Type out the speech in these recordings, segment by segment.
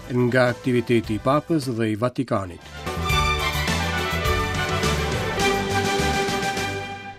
Nga aktiviteti i Papës dhe i Vatikanit.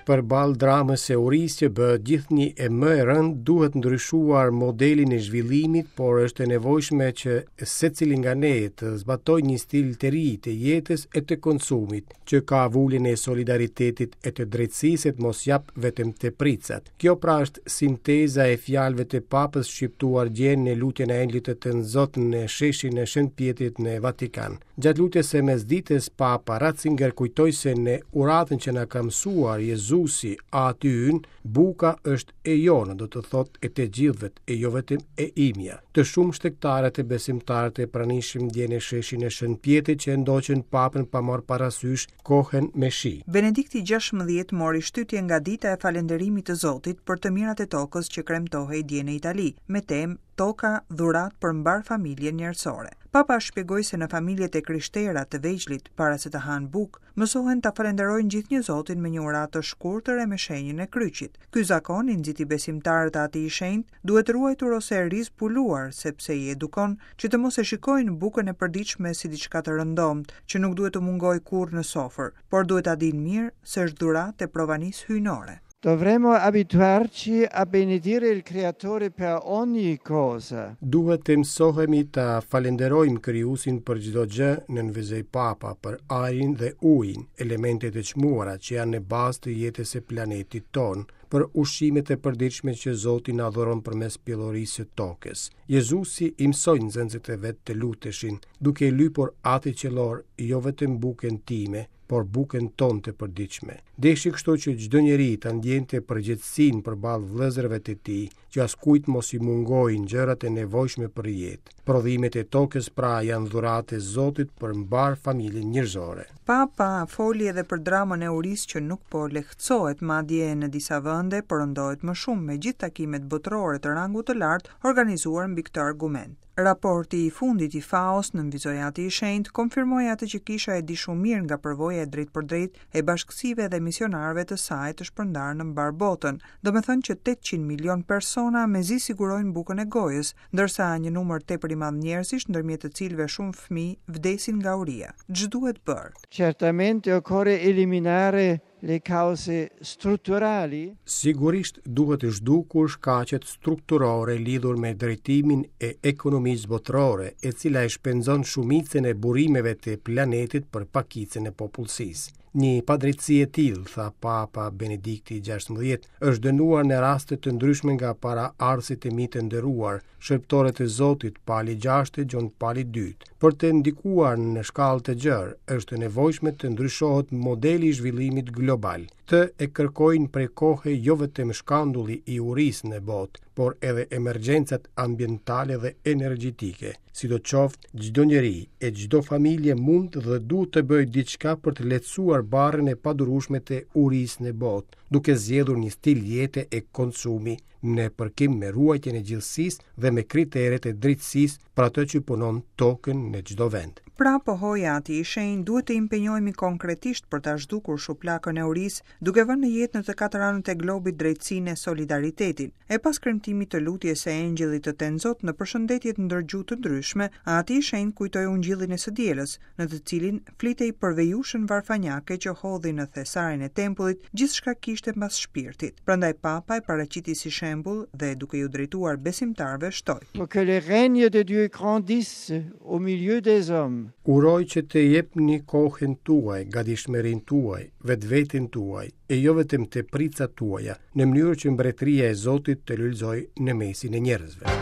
Përballë dramës së urisë që bëhet gjithnjë e më e rëndë, duhet ndryshuar modelin e zhvillimit, por është e nevojshme që secili nga ne të zbatojë një stil të ri të jetës e të konsumit, që ka vulën e solidaritetit e të drejtësisë e të mos japë vetëm tepricat. Kjo pra është sinteza e fjalëve të Papës shqiptuar dje në lutjen e Engjëllit të Tënzot në sheshin e Shën Pjetrit në Vatikan. Gjatë lutjes së mesditës, Papa Ratzinger kujtoi se në uratën që na ka mësuar Jezusi, Ati ynë, buka është e jona, do të thotë e të gjithëve, e jo vetëm e imja. Të shumtë shtegtarët e besimtarët e pranishëm dje në sheshin e Shën Pjetrit që e ndoqën Papën pa marrë parasysh kohën me shi. Benedikti XVI mori shtytje nga dita e falënderimit të Zotit për të mirat e tokës që kremtohej dje në Itali, me temë Toka, dhuratë për mbarë familjen njerëzore. Papa shpjegoi se në familjet e krishtera të vegjlit, para se të hanë bukë, mësohen ta falënderojnë gjithnjë Zotin me një uratë të shkurtër e me shenjën e kryqit. Ky zakon, i nxiti besimtarët Ati i Shenjtë, duhet ruajtur ose rizbuluar, sepse i edukon që të mos e shikojnë bukën e përditshme si diçka të rëndomtë, që nuk duhet të mungojë kurrë në sofër, por duhet ta dinë mirë se është dhuratë e provanisë hyjnore. Dovremmo abituarci a benedire il Creatore per ogni cosa. Duhet të mësohemi ta falënderojmë Krijuesin për çdo gjë, nënvizoi Papa, për ajrin dhe ujin, elemente të çmuara që janë në bazë të jetës së planetit tonë, për ushqimet e përditshme që Zoti na dhuron përmes pjellorisë së tokës. Jezusi i mësoi nxënësit e vet të luteshin, duke i lypur Atit Qiellor jo vetëm bukën time, por bukën tonë të përditshme. Deshi kështu që çdo njeri ta ndjente përgjegjësinë përballë vëllezërve të tij, që askujt mos i mungojnë gjërat e nevojshme për jetë. Prodhimet e tokës pra janë dhuratë e Zotit për mbarë familjen njerëzore. Papa foli edhe për dramën e urisë që nuk po lehtësohet, madje në disa vende po rëndohet më shumë me gjithë takimet botërore të rangut të lartë organizuar mbi këtë argument. Raporti i fundit i FAO-s, nënvizoi Ati i Shenjtë, konfirmoi atë që Kisha e di shumë mirë nga përvoja e drejtpërdrejtë e bashkësive dhe misionarëve të saj të shpërndarë në mbarë botën, domethënë që 800 milionë persona mezi sigurojnë bukën e gojës, ndërsa një numër tepër i madh njerëzish, ndërmjet të cilëve shumë fëmijë, vdesin nga uria. Ç'duhet bërë? Certamente occorre eliminare le cause strutturali? Sigurisht duhet zhdukur shkaqet strukturore lidhur me drejtimin e ekonomisë botërore, e cila e shpenzon shumicën e burimeve të planetit për pakicën e popullsisë. Një padrejtësi e tillë, tha Papa Benedikti XVI, është dënuar në raste të ndryshme nga paraardhësit e mi të nderuar, shërbëtorët e Zotit, Pali VI e Gjon Pali II. Për të ndikuar në shkallë të gjerë, është e nevojshme të ndryshohet modeli i zhvillimit global. Këtë e kërkojnë prej kohe jo vetëm shkandulli i urisë në botë, por edhe emergjencat ambientale dhe energjetike. Sidoqoftë, çdo njeri e çdo familje mund dhe duhet të bëjë diçka për të lehtësuar barrën e padurueshme të urisë në botë, duke zgjedhur një stil jete e konsumi në përkim me ruajtjen e gjithësisë dhe me kriteret e drejtësisë për atë që punon tokën në çdo vend. Pra, pohoi Ati i Shenjtë, duhet të impenjohemi konkretisht për ta zhdukur shuplakën e urisë, duke vënë në jetë në të katër anët e globit drejtësinë e solidaritetin. E pas kremtimit të lutjes së Engjëllit të Tenzot në përshëndetjet ndër gjuhë të ndryshme, Ati i Shenjtë kujtoi Ungjillin e së dielës, në të cilin flitej për vejushën varfanjake që hodhi në thesarin e tempullit gjithçka kishte mbas shpirtit. Prandaj Papa e paraqiti si shembull dhe duke iu drejtuar besimtarëve shtoi. Pour que le règne de Dieu grandisse au milieu des hommes. Uroj që të jepni kohën tuaj, gatishmërinë tuaj, vetveten tuaj, e jo vetëm tepricat tuaja, në mënyrë që mbretëria e Zotit të lulëzojë në mesin e njerëzve.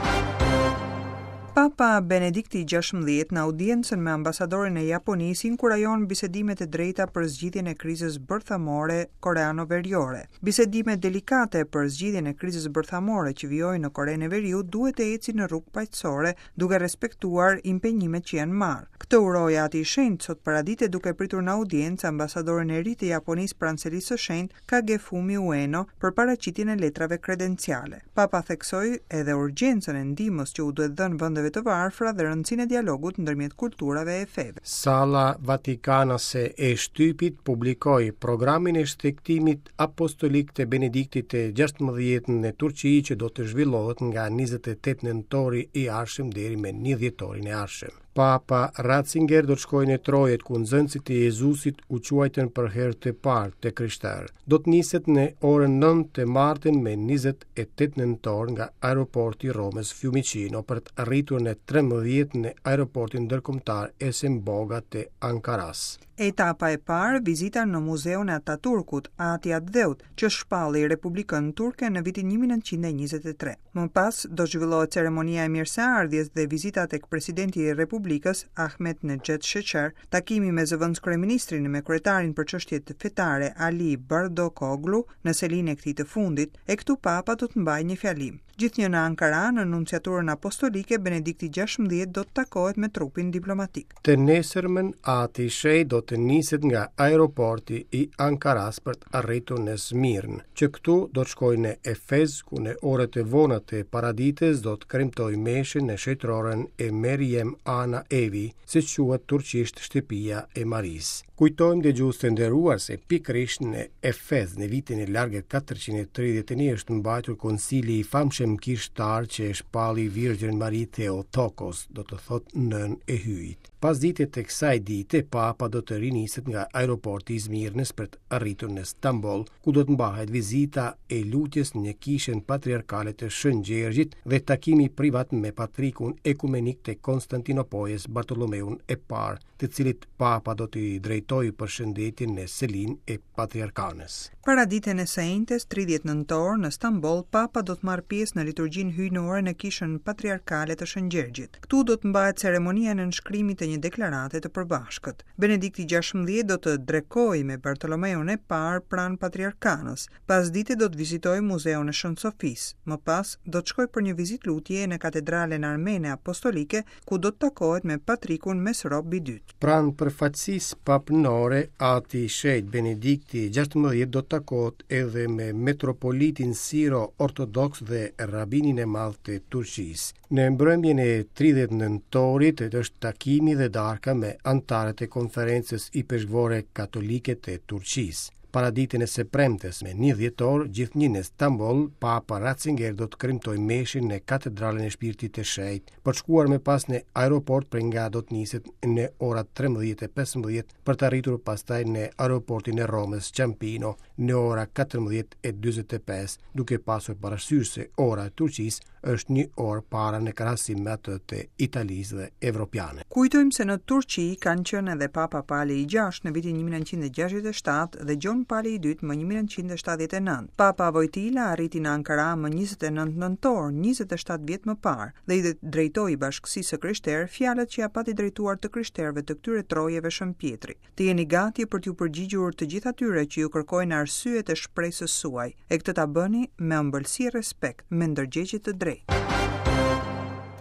Papa Benedikti XVI në audiencën me ambasadorin e Japonisë inkurajon bisedimet e drejta për zgjidhjen e krizës bërthamore koreano-veriore. Bisedimet delikate për zgjidhjen e krizës bërthamore që vijojnë në Korenë e Veriut duhet të ecin në rrugë paqësore, duke respektuar impenjimet që janë marrë. Këtë uroi Ati i Shenjtë sot paradite duke pritur në audiencë ambasadorin e ri të Japonisë pranë Selisë së Shenjtë, Kagefumi Ueno për paraqitjen e letrave kredenciale. Papa theksoi edhe urgjencën e ndihmës që u duhet dhënë vendeve vendeve të varfra dhe rëndësinë e dialogut ndërmjet kulturave e feve. Salla Vatikanase e shtypit publikoi programin e shtegtimit apostolik të Benediktit të 16 në Turqi që do të zhvillohet nga 28 nëntori i ardhshëm deri me 1 dhjetorin e ardhshëm. Papa Ratzinger do të shkojë në trojet ku nxënësit e Jezusit u quajtën për herë të parë të krishterë. Do të niset në orën 9 të martën me 28 nëntor nga aeroporti i Romës Fiumicino për të arritur në 13 në aeroportin ndërkombëtar Esenboga të Ankarasë. Etapa e parë, vizita në Muzeun e Ataturkut, Ati i Atdheut, që shpalli Republikën Turke në vitin 1923. Më pas do të zhvillohet ceremonia e mirëseardhjes dhe vizita tek presidenti i Republikës, Ahmet Nexhet Sheqer, takimi me zëvendëskryeministrin e me kryetarin për çështjet fetare Ali Bardakoglu në selinë e këtij të fundit, e këtu Papa do të mbajë një fjalim. Gjithnjë në Ankara, në Nunciaturën Apostolike, Benedikti 16 do të takohet me trupin diplomatik. Të nesërmen, Ati i Shenjtë do të niset nga aeroporti i Ankarasë për të arritur në Smirnë, që këtu do të shkojë në Efez, ku në orët e vona të paradites do të kremtojë meshën në shenjtëroren e Merjem Ana Evi, siç quhet turqisht shtëpia e Marisë. Kujtojmë dëgjues të nderuar se pikërisht në Efez në vitin e largët 431 është mbajtur koncili i famshëm kishtar që e shpalli Virgjën Mari Theotokos, do të thotë nënë e Hyjit. Pasdite të kësaj dite, Papa do të riniset nga aeroporti i Smirnës për të arritur në Stamboll, ku do të mbahet vizita e lutjes në kishën patriarkale të Shën Gjergjit dhe takimi privat me patrikun ekumenik të Konstantinopojës Bartolomeun e Parë, të cilit Papa do t'i drejtojë përshëndetjen në selinë e Patriarkanës. Paraditen e së enjtes, 30 nëntor, në Stamboll, Papa do të marrë pjesë në liturgjinë hyjnore në Kishën Patriarkale të Shën Gjergjit. Këtu do të mbahet ceremonia e nënshkrimit të një deklarate të përbashkët. Benedikti 16 do të drekojë me Bartolomeun e Parë pranë Patriarkanës. Pasdite do të vizitojë Muzeun e Shën Sofisë. Më pas, do të shkojë për një vizitë lutjeje në Katedralen Armene Apostolike ku do të takohet me patrikun Mesrop i Dytë. Pranë përfaqësisë papnore, Ati i Shenjtë Benedikti 16 do të takohet edhe me metropolitin siro-ortodoks dhe rabinin e madh të Turqisë. Në mbrëmjen e 30 nëntorit është takimi dhe darka me anëtarët e Konferencës Ipeshkvore Katolike të Turqisë. Paraditen e së premtes, me 1 dhjetor, gjithnjë në Stamboll, Papa Ratzinger do të kremtojë meshën në Katedralen e Shpirtit të Shenjtë, për të shkuar më pas në aeroport prej nga do të niset në ora 13:15 për të arritur pastaj në aeroportin e Romës Ciampino në ora 14:45, duke pasur parasysh se ora e Turqisë është një orë para në krahasim me atë të Italisë dhe evropiane. Kujtojmë se në Turqi kanë qenë edhe Papa Pali i VI në vitin 1967 dhe Gjon Pali i II më 1979. Papa Vojtila arriti në Ankara më 29 nëntor, 27 vjet më parë, dhe i drejtoi bashkësisë së krishterë fjalët që ia pati drejtuar të krishterëve të këtyre trojeve Shën Pjetri. Të jeni gati për t'iu përgjigjur të gjithë atyre që ju kërkojnë arsyet e shpresës suaj, e këtë ta bëni me ëmbëlsi e respekt, me ndërgjegje të drejtë.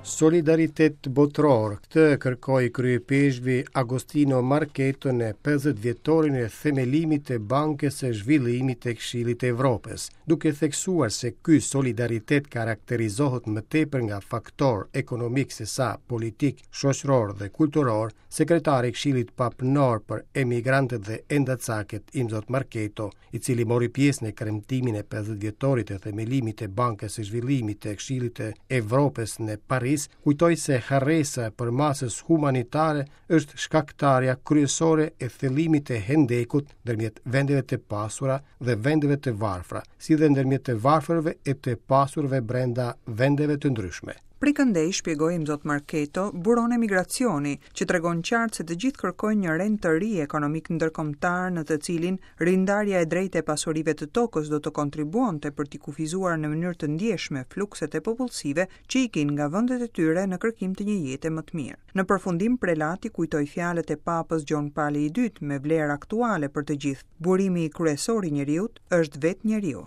Solidaritet botëror, këtë kërkoi kryeipeshkvi Agostino Marchetto në 50 vjetorin e themelimit të Bankës së Zhvillimit të Këshillit të Evropës, duke theksuar se ky solidaritet karakterizohet më tepër nga faktorë ekonomikë sesa politikë, shoqërorë dhe kulturorë, Sekretari i Këshillit Papnor për Emigrantët dhe Endacakët, Imzot Marchetto, i cili mori pjesë në kremtimin e 50 vjetorit të themelimit të Bankës së Zhvillimit të Këshillit të Evropës në Paris, kujtoi se harresa e përmasës humanitare është shkaktarja kryesore e thellimit të hendekut ndërmjet vendeve të pasura dhe vendeve të varfra, si dhe ndërmjet të varfërve e të pasurve brenda vendeve të ndryshme. Prej këndej, shpjegoi Imzot Marchetto, buron emigracioni, që tregon qartë se të gjithë kërkojnë një rend të ri ekonomik ndërkombëtar në të cilin rindarja e drejtë e pasurive të tokës do të kontribuonte për t'i kufizuar në mënyrë të ndjeshme flukset e popullsive që ikin nga vendet e tyre në kërkim të një jete më të mirë. Në përfundim, prelati kujtoi fjalët e Papës Gjon Pali i II me vlerë aktuale për të gjithë, burimi kryesor i njeriut është vetë njeriu.